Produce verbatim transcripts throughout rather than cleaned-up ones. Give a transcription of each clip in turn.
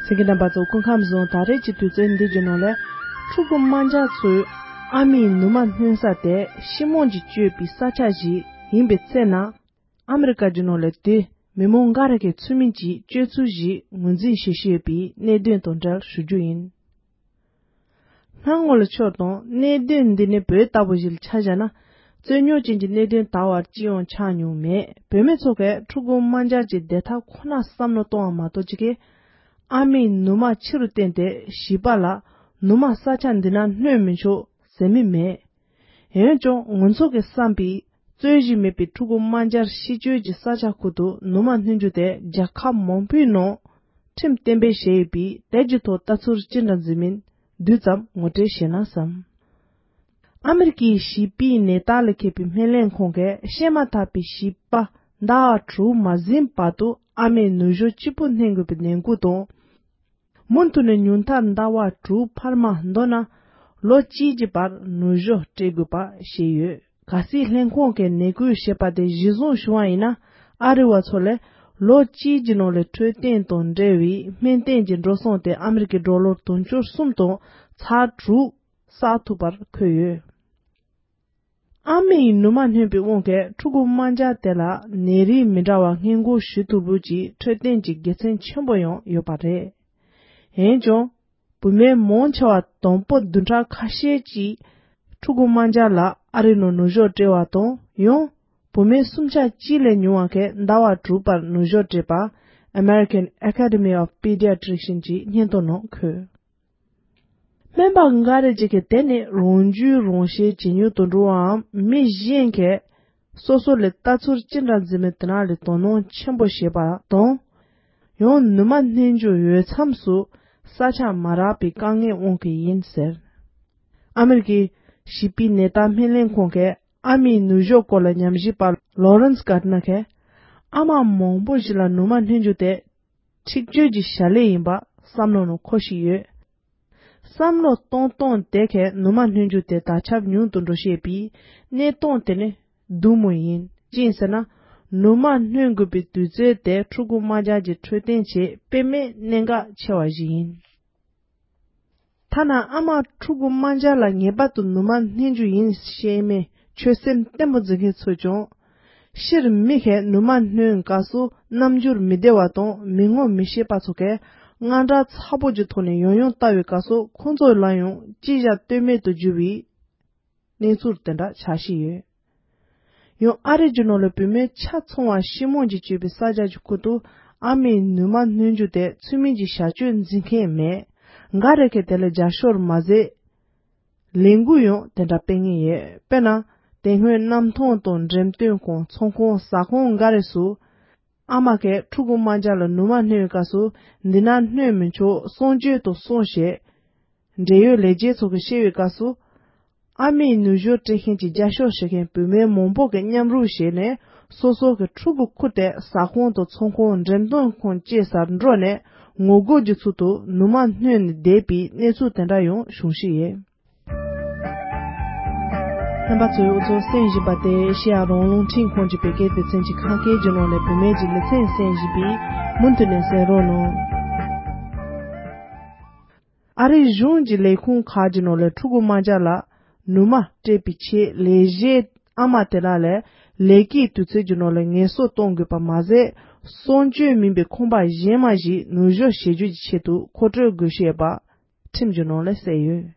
གསན་མཁན་རྣམ་པ་ཚོ་སྐུ་ཁམས་བཟང་། ད་རེས་ཀྱི་དུས་ཚོད་འདི་གྱི་ནང་ལ་ཕྲུ་གུ་དམར་འབྱར་ཚོས་ཨ་མའི་ནུ་མ་སྣུན་ས་དེ་ཤི་མོང་གིས་གཅོད་པའི་ས་ཆ་ཞིག་ཡིན་པའི་ཚེ་ན། ཨ་མི་རི་ཀ་གྱི་ནང་ལ་དེ་མི་མང་འགའ་རེ་གི་ཚུལ་མིན་གྱི་སྤྱོད་ཚུལ་ཞིག་ངོས་འཛིན་བྱེད་བཞིན་ཡོད་པའི་གནད་དོན་དང་འབྲེལ་ཞུ་རྒྱུ་ཡིན། སྣང་ངོ་ལ་ཕྱོགས་དང་གནད་དོན་འདི་ནི་བོད་ལྟ་བུ་ཞིག་ལ་ཆ་བཞག་ན། རྩོད་རྙོག་ཅན་གྱི་གནད་དོན་ད་བར་ཅི་ཡང་ཆགས་མྱོང་མེད། བུད་མེད་ཚོ་གས་ཕྲུ་གུ་དམར་འབྱར་གྱི་བདེ་ཐབས་ཁོ་ན་བསམ་བློ་གཏོང་བ་མ་གཏོགས་ཅིག་གིས་ཨ་མའི་ནུ་མ་ཕྱི་རུ་བསྟན་ཏེ་བྱིས་པ་ལ་ནུ་མ་ས་ཆ་འདི་ན་སྣུན་མི་ཆོག་ཟེར་མི་མེད། འོན་ཀྱང་ང་ཚོ་གི་བསམ་པའི་རྩོད་གཞི་མེད་པའི་ཕྲུ་གུ་དམར་འབྱར་ཤི་བཅོས་ཀྱི་ས་ཆ་ཁུལ་དུ་ནུ་མ་སྣུན་རྒྱུ་དེ་རྒྱལ་ཁབ་མང་པོའི་ནང་ཁྲིམས་གཏན་འབེབས་བྱས་ཡོད་པས། དེ་གྱི་ཐོག་ལྟ་ཚུལ་ཅི་འདྲ་འཛིན་མིན་བསྡུས་ཙམ་ངོ་སྤྲོད་བྱས་ན་བསམ། ཨ་མི་རི་ཀའི་བྱིས་པའི་ནད་རྟགས་ལ་མཁས་པའི་སྨན་ལས་ཁང་གིས་བཤད་མ་ཐག་པའི་བྱིས་པ་ཟླ་བ་དྲུག་མ་ཟིན་བར་དུ་ཨ་མའི་ནུ་ཞོ་གཅིག་པུ་སྣུན་དགོས་པའི་ནན་སྐུལ་དང་། མུ་མཐུད་ནས་ཉུང་མཐར་ཟླ་བ་དྲུག་འཕར་མ་མདོར་ན་ལོ་གཅིག་གི་བར་ནུ་ཞོ་སྤྲད་དགོས་པ་བཤད་ཡོད། གལ་སྲིད་ལྷན་ཁང་གིས་ནན་སྐུལ་བྱས་པ་དེ་གཞིར་བཟུང་བྱུང་བ་ཡིན་ན། ཨ་རི་བ་ཚོ་ལས་ལོ་གཅིག་གི་ནང་ལ་འཕྲོད་བསྟེན་དང་འབྲེལ་བའི་སྨན་བསྟེན་གྱི་འགྲོ་སོང་དེ་ཨ་མི་རི་ཀའི་ཌོ་ལར་དུང་ཕྱུར་གསུམ་དང་ཚེག་དྲུག་བསགས་ཐུབ་པར་འཁོད་ཡོད། ཨ་མའི་ནུ་མ་སྣུན་པའི་དབང་གིས་ཕྲུ་གུ་དམར་འབྱར་དེ་ལ་ནད་རིགས་མི་འདྲ་བ་སྔོན་འགོག་ཞུ་ཐུབ་ལུགས་ཀྱི་འཕྲོད་བསྟེན་གྱི་དགེ་མཚན་ཆེན་པོ་ཡང་ཡོད་པ་རེད། འོན་ཀྱང་། བུད་མེད་མང་ཆེ་བ་དང་པོ་བདུན་ཕྲག་ཁ་ཤས་ཀྱི་ཕྲུ་གུ་དམར་འབྱར་ལ་ཨ་རིའི་ནང་ནུ་ཞོ་སྤྲད་པ་དང་། ཡང་བུད་མེད་སུམ་ཆ་གཅིག་ལས་ཉུང་བ་གིས་ཟླ་བ་དྲུག་བར་ནུ་ཞོ་སྤྲད་པ་American Academy of Pediatrician གྱི་སྙན་ཐོ་ནང་འཁོད། སྨན་པ་འགའ་རེ་ཅིག་གིས་དེ་ནི་རང་རྒྱུད་རང་བཤེར་བྱེད་མྱོང་དུ་འགྲོ་བའམ། མི་གཞན་གྱིས་སོ་སོ་ལས་ལྟ་ཚུལ་ཅི་འདྲ་འཛིན་མིན་དེ་ན་ལས་དོ་སྣང་ཆེན་པོ་བྱེད་པ་དང་། ཡང་ནུ་མ་སྣུན་རྒྱུ་འོས་འཚམས་སུ་ས་ཆ་མ་རག་པའི་དཀའ་ངལ་དབང་གིས་ཡིན་ཟེར། ཨ་མི་རི་ཀའི་བྱིས་པའི་ནད་བརྟག་སྨན་ལས་ཁང་གི་ཨ་མའི་ནུ་ཞོ་སྐོར་ལ་ཉམས་ཞིབ་པ་Lawrence Gardner གིས། ཨ་མ་མང་པོ་ཞིག་ལ་ནུ་མ་སྣུན་རྒྱུ་དེ་འཁྲིག་སྤྱོད་ཀྱི་བྱ་ལས་ཡིན་པ་བསམ་བློ་ནང་འཁོར་བཞིན་ཡོད། བསམ་བློ་གཏོང་སྟངས་དེ་གས་ནུ་མ་སྣུན་རྒྱུ་དེ་དར་ཁྱབ་ཉུང་དུ་འགྲོ་བཞིན་པའི་གནས་སྟངས་དེ་ནི་སྡུག་མོ་ཡིན། ཅི་ཡིན་ཟེར་ན། ནུ་མ་སྣུན་དགོས་པའི་དུས་ཚོད་དེ་ཕྲུ་གུ་དམར་འབྱར་གྱི་འཕྲོད་བསྟེན་ཆེད་དཔེ་མེད་གནད་འགག་ཆེ་བ་ཞིག་ཡིན། ཐ་ན་ཨ་མ་ཕྲུ་གུ་དམར་འབྱར་ལ་ངེས་པར་དུ་ནུ་མ་སྣུན་རྒྱུ་ཡིན་ཞེས་མི་ཆོད་སེམས་བརྟན་པོ་འཛིན་མཁན་ཚོས་ཀྱང་། སྤྱིར་མི་ཞིག་ནུ་མ་སྣུན་སྐབས་སུ་རྣམ་འགྱུར་མི་བདེ་བ་དང་མི་ངོ་མི་ཤེས་པ་ཚོ་གས་དངངས་སྐྲག་ཚ་པོ་གྱི་ཐོག་ནས་ཡང་ཡང་ལྟ་བའི་སྐབས་སུ་ཁོང་ཚོ་ལ་ཡང་ཅི་བྱ་གཏོལ་མེད་དུ་གྱུར་བའི་གནས་ཚུལ་དེ་འདྲ་ཆགས་བཞིན་ཡོད། ཡང་ཨ་རི་རྒྱུ་ནོར་ལ་བུད་མེད་ཆ་ཚང་བ་ཤི་མོང་གིས་གཅོད་པའི་ས་ཆ་གྱི་ཁུལ་དུ་ཨ་མའི་ནུ་མ་སྣུན་རྒྱུ་དེ་ཚུལ་མིན་གྱི་བྱ་སྤྱོད་འཛིན་མཁན་མེད། འགའ་རེ་གས་དེ་ལ་རྒྱབ་སྐྱོར་མ་ཟད། ལས་འགུལ་ཡང་དེ་འདྲ་སྤེལ་ངེས་ཡོད། དཔེར་ན། དེ་སྔོན་གནམ་ཐང་དང་འགྲེམས་སྟོན་ཁང་། ཚོང་ཁང་། ཟ་ཁང་འགའ་རེ་སུ། ཨ་མ་གས་ཕྲུ་གུ་དམར་འབྱར་ལ་ནུ་མ་སྣོན་སྐབས་སུ་འདི་ན་སྣོན་མི་ཆོག་གསང་སྤྱོད་དུ་སོང་ཞེས། འབྲེལ་ཡོད་ལས་བྱེད་ཚོ་གིས་བཤད་པའི་སྐབས་སུ། ཨ་མའི་ནུ་ཞོ་སྤྲད་མཁན་གྱི་རྒྱབ་སྐྱོར་བྱེད་མཁན་བུད་མེད་མང་པོ་གིས་མཉམ་རུབ་བྱས་ནས་སོ་སོ་གི་ཕྲུ་གུ་ཁུར་ཏེ་ཟ་ཁང་དང་ཚོང་ཁང་། འགྲེམས་སྟོན་ཁང་བཅས་སར་འགྲོ་ནས་ངོ་རྒོལ་གྱི་ཚུལ་དུ་ནུ་མ་སྣོན་ནས་བསྡད་པའི་གནས་ཚུལ་དེ་འདྲ་ཡང་བྱུང་བཞིན་ཡོད། རྣམ་པ་ཚོས་འུ་ཚོ་གསན་བཞིན་པ་དེ་ཨེ་ཤེ་ཡ་རང་དབང་རླུང་འཕྲིན་ཁང་གི་བོད་སྐད་སྡེ་ཚན་གྱི་ཁ་སྐད་ཀྱི་ནང་ནས་བུད་མེད་ཀྱི་ལེ་ཚན་གསན་བཞིན་པས། མུ་མཐུད་ནས་གསན་རོགས་གནང་། ཨ་རིའི་གཞུང་གི་ལས་ཁུངས་ཁག་གི་ནང་ལ་ཕྲུ་གུ་དམར་འབྱར་ལ་ནུ་མ་སྤྲད་པའི་ཆེད་ལས་གཞིའི་ཨ་མ་དེ་དག་ལ་ལས་ཀའི་དུས་ཚོད་ཀྱི་ནང་ལ་ངལ་གསོ་གཏོང་དགོས་པ་མ་ཟད། གསང་སྤྱོད་མིན་པའི་ཁང་པ་གཞན་མ་ཞིག་ནུ་ཞོ་བཞེས་རྒྱུ་གྱི་ཆེད་དུ་མཁོ་སྤྲོད་དགོས་ཞེས་པ་ཁྲིམས་ཀྱི་ནང་ལ་གསལ་ཡོད།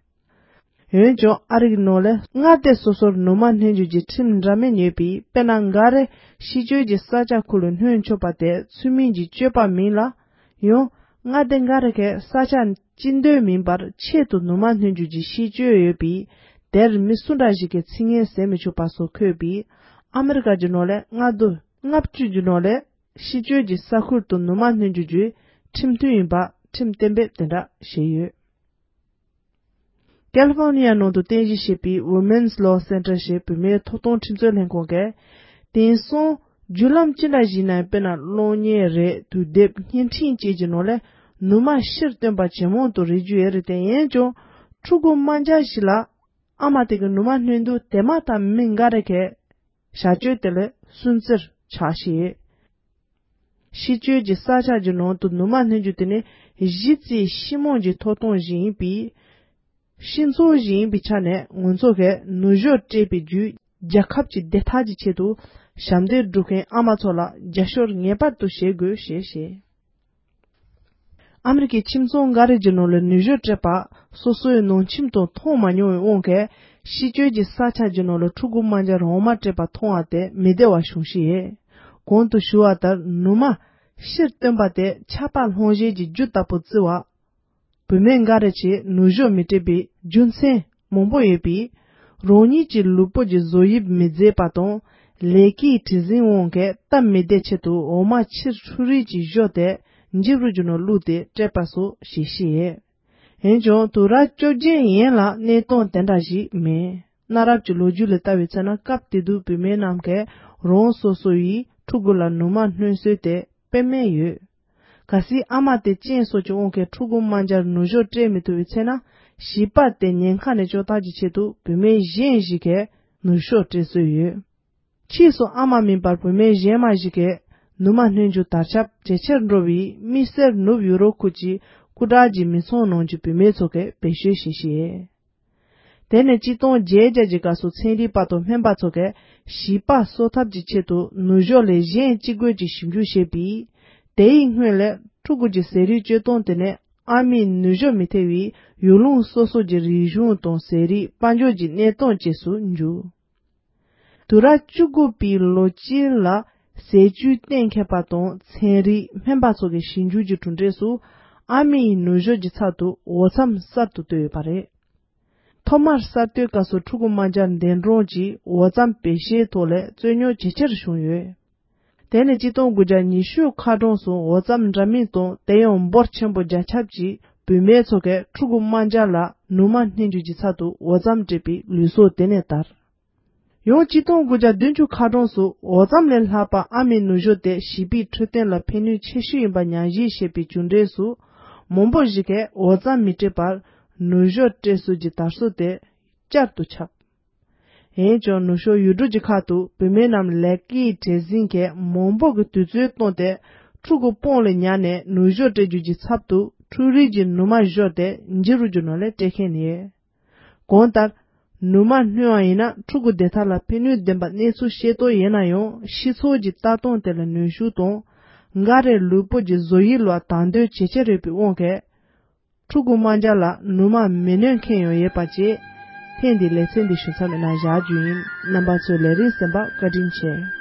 འོན་ཀྱང་ཨ་རིའི་ནང་ལ་མངའ་སྡེ་སོ་སོར་ནུ་མ་སྣོན་རྒྱུ་གྱི་ཁྲིམས་འདྲ་མིན་ཡོད་པས། དཔེར་ན་འགའ་རེ་ཤི་བཅོས་ཀྱི་ས་ཆ་ཁུལ་ལ་སྣོན་ཆོག་པ་དེ་ཚུལ་མིན་གྱི་སྤྱོད་པ་མིན་ལ། ཡང་མངའ་སྡེ་འགའ་རེ་གས་ས་ཆ་སྤྱི་འདོད་མིན་པར་ཆེད་དུ་ནུ་མ་སྣོན་རྒྱུ་གྱི་ཤེས་སྤྱོད་ཡོད་པས། དེར་མི་སུ་འདྲ་ཞིག་གིས་ཚིག་ངན་ཟེར་མི་ཆོག་པ་སོགས་འཁོད་པས། ཨ་མི་རི་ཀ་གི་ནང་ལ་མངའ་སྡེ་ལྔ་བཅུ་གི་ནང་ལ་ཤི་བཅོས་ཀྱི་ས་ཁུལ་དུ་ནུ་མ་སྣོན་རྒྱུ་གྱི་ཁྲིམས་མཐུན་ཡིན་པ་ཁྲིམས་གཏན་འབེབས་དེ་འདྲ་བྱས་ཡོད། ཀལ་ཧྥོར་ནི་ཡ་ནང་དུ་རྟེན་གཞི་བྱས་པའི་Women's Law Center ཞེས་བུད་མེད་ཐོབ་ཐང་ཁྲིམས་རྩོད་ལྷན་ཁང་གིས། དེང་སང་བརྒྱུད་ལམ་ཅི་འདྲ་ཞིག་ནའང་། དཔེར་ན་གློག་བརྙན་རེད། དུས་དེབ། བརྙན་འཕྲིན་བཅས་ཀྱི་ནང་ལ་ནུ་མ་ཕྱིར་བཏོན་པ་ཇེ་མང་དུ་རེ་རྒྱུ་ཡོད་རེད་དེ། འོན་ཀྱང་ཕྲུ་གུ་དམར་འབྱར་ཞིག་ལ་ཨ་མ་དེ་གི་ནུ་མ་སྣོན་དུས་དེ་མ་ཐག་མི་འགའ་རེ་གས་བྱ་སྤྱོད་དེ་ལ་སུན་གཙེར་ཆགས་ཤིང་། ཤི་གཅོད་ཀྱི་ས་ཆ་གྱི་ནང་དུ་ནུ་མ་བསྣུན་རྒྱུ་དེ་ནི་གཞི་རྩའི་ཤི་རྨོངས་ཀྱི་ཐོབ་ཐང་ཞིག་ཡིན་པས། ཤི་འཚོ་ཞིག་ཡིན་པའི་ཆ་ནས་ང་ཚོ་གིས་ནུ་ཞོ་སྤྲད་པའི་བརྒྱུད་རྒྱལ་ཁབ་ཀྱི་བདེ་ཐང་གི་ཆེད་དུ་ཞབས་འདེགས་སྒྲུབ་མཁན་ཨ་མ་ཚོ་ལ་རྒྱབ་སྐྱོར་ངེས་པར་དུ་བྱེད་དགོས་ཞེས་བཤད། ཨ་མི་རི་ཀའི་ཁྱིམ་ཚང་འགའ་རེ་གྱི་ནང་ལ་ནུ་ཞོ་སྤྲད་པ་སོ་སོའི་ནང་ཁྱིམ་དུ་མཐོང་མ་མྱོང་བའི་དབང་གིས། ཤི་གཅོད་ཀྱི་ས་ཆ་གྱི་ནང་ལ་ཕྲུ་གུ་དམར་འབྱར་འོ་མ་སྤྲད་པ་མཐོང་བ་དེ་མི་བདེ་བ་བྱུང་ཤི་ཡས། གོང་དུ་ཞུ་བ་ལྟར་ནུ་མ་ཕྱིར་བཏོན་པ་དེ་ཆགས་པ་སློང་བྱེད་ཀྱི་རྒྱུ་ལྟ་བུ་བརྩི་བ། བུད་མེད་འགའ་རེ་ཆེས་ནུ་ཞོ་མི་སྤྲད་པའི་རྒྱུ་མཚན་མང་པོ་ཡོད་པས། རང་ཉིད་ཀྱི་ལུས་པོ་གྱི་བཟོ་དབྱིབས་མི་མཛེས་པ་དང་། ལས་ཀའི་བྲེལ་ཟིང་དབང་གིས་སྟབས་མི་བདེ་ཆེད་དུ་འོ་མ་ཕྱིར་འཕྲོ་རིས་ཀྱི་ཞོ་དེ་འཇིབ་རུ་རྒྱུ་ནང་བླུགས་ཏེ་སྤྲད་པ་སོགས་བྱེད་ཤེས་ཡས། འོན་ཀྱང་དུས་རབས་བཅོ་བརྒྱད་ཡན་ལ་གནས་སྟངས་དེ་འདྲ་ཞིག་མེད། གནའ་རབས་ཀྱི་ལོ་རྒྱུས་ལ་ལྟ་བའི་ཚེ་ན། སྐབས་དེ་དུས་བུད་མེད་རྣམས་ཀྱིས་རང་སོ་སོ་ཡི་ཕྲུ་གུ་ལ་ནུ་མ་བསྣུན་སྲོལ་དེ་དཔེ་མེད་ཡོད། གལ་སྲིད་ཨ་མ་དེ་གཅེན་སོགས་ཀྱི་དབང་གིས་ཕྲུ་གུ་དམར་འབྱར་ནུ་ཞོ་སྤྲད་མི་ཐུབ་པའི་ཚེ་ན། བྱིས་པ་དེ་ཉེན་ཁ་ནས་སྐྱོབ་ཐབས་ཀྱི་ཆེད་དུ་བུད་མེད་གཞན་ཞིག་གིས་ནུ་ཞོ་སྤྲད་སྲོལ་ཡོད། ཕྱིས་སུ་ཨ་མ་མིན་པར་བུད་མེད་གཞན་མ་ཞིག་གིས་ནུ་མ་བསྣུན་རྒྱུ་དར་ཁྱབ་ཇེ་ཆེར་འགྲོ་བའི་དམིགས་བསལ་ནུབ་ཡུ་རོབ་ཁུལ་གྱི་སྐུ་དྲག་གི་མི་ཚང་ནང་གི་བུད་མེད་ཚོ་གིས་བེད་སྤྱོད་བྱེད་བཞིན་ཡོད། དེ་ནི་གཅིག་སྟོང་བརྒྱད་བརྒྱ་གྱི་སྐབས་སུ་ཚན་རིག་པ་དང་སྨན་པ་ཚོ་གིས་བྱིས་པ་གསོ་ཐབས་ཀྱི་ཆེད་དུ་ནུ་ཞོ་ལས་གཞན་ཅི་དགོས་ཀྱི་ཞིབ་འཇུག་བྱས་པས། དེའི་སྔོན་ལ་ཕྲུ་གུ་གྱི་ཟས་རིགས་སྤྱོད་སྟངས་དེ་ནི་ཨ་མས་ནུ་ཞོ་མི་ཐེ་བའི་ཡུལ་ལུང་སོ་སོ་གྱི་རིག་གཞུང་དང་ཟས་རིགས་དཔལ་འབྱོར་གྱི་གནས་སྟངས་བཅས་སུ་འཇུག་དུས་རབས་བཅུ་དགུ་པའི་ལོ་དཀྱིལ་ལ་ཟས་བཅུད་གཏན་འཁེལ་པ་དང་ཚན་རིག་སྨན་པ་ཚོ་གི་ཞིབ་འཇུག་གི་གྲུབ་འབྲས་སུ། ཨ་མའི་ནུ་ཞོ་གྱི་ཚབ་ཏུ་འོ་རྩམ་གསར་དུ་བཏོན་ཡོད་པ་རེད། ཐོག་མར་གསར་གཏོད་སྐབས་སུ་ཕྲུ་གུ་དམར་འབྱར་འདས་གྲོངས་ཀྱིས་འོ་རྩམ་བེད་སྤྱོད་ཐོག་ལས་རྩོད་རྙོག་ཇེ་ཆེར་བྱུང་ཡོད། དེ་ནི་གཅིག་སྟོང་དགུ་བརྒྱ་ཉི་ཤུ་ཁ་གྲངས་སུ་འོ་རྩམ་འདྲ་མིན་དང་། དེ་ཡང་འབོར་ཆེན་པོ་བརྒྱ་ཁྱབ་ཀྱིས་བུད་མེད་ཚོ་གིས་ཕྲུ་གུ་དམར་འབྱར་ལ་ནུ་མ་བསྣུན་རྒྱུ་གྱི་ཚབ་ཏུ་འོ་རྩམ་སྤྲད་པའི་ལུགས་སྲོལ་དེ་ནས་དར། ཡང་གཅིག་སྟོང་དགུ་བརྒྱ་བདུན་ཅུ་ཁ་གྲངས་སུ་འོ་རྩམ་ལས་ལྷག་པ་ཨ་མའི་ནུ་ཞོ་དེ་བྱིས་པའི་འཕྲོད་བསྟེན་ལ་ཕན་ནུས་ཆེ་ཤོས་ཡིན་པ་ཉམས་ཞིབ་བྱས་པའི་གྲུབ་འབྲས་སུ། མང་པོ་ཞིག་གིས་འོ་རྩམ་མི་སྤྲད་པར་ནུ་ཞོ་སྤྲད་སྲོལ་གྱི་དར་སྲོལ་དེ་བསྐྱར་དུ་ཁྱབ། འོན་ཀྱང་ནུ་ཞོ་ཡུལ་གྲུ་གྱི་ཁག་ཏུ་བུད་མེད་རྣམས་ལས་ཀའི་བྲེལ་ཟིང་གིས་མང་པོ་གི་དུས་ཚོད་བཏང་སྟེ། ཕྲུ་གུ་དཔུང་ལ་ཉར་ནས་ནུ་ཞོ་སྤྲད་རྒྱུ་གྱི་ཚབ་ཏུ་འཕྲུལ་རིགས་ཀྱི་ནུ་མ་བཞོས་ཏེ་འཇིབ་རུ་རྒྱུ་ནང་ལ་སྤྲད་མཁན་ཡོད། གང་ལྟར། ནུ་མ་བསྣུན་པ་ཡིན་ན་ཕྲུ་གུ་བདེ་ཐང་ལ་ཕན་ནུས་ལྡན་པ་གནས་ཚུལ་ཤེས་རྟོགས་ཡིན་ན་ཡང་། ཤི་ཚུལ་གྱི་ལྟ་སྟངས་དེ་ལ་གནོན་ཤུགས་དང་། འགའ་རེར་ལུས་པོ་གྱི་བཟོ་དབྱིབས་ལ་དང་དོད་ཇེ་ཆེར་ཡོད་པའི་དབང་གིས། ཕྲུ་གུ་དམར་འབྱར་ལ་ནུ་མ་མི་བསྣུན་མཁན་ཡང་ཡོད་པ་བཅས། ཐེངས་འདིའི་ལེ་ཚན་འདི་ཞུ་མཚམས་ནང་བཞག་རྒྱུ་ཡིན། རྣམ་པ་ཚོས་ལས་རིམ་གསན་པར་བཀའ་དྲིན་ཆེ།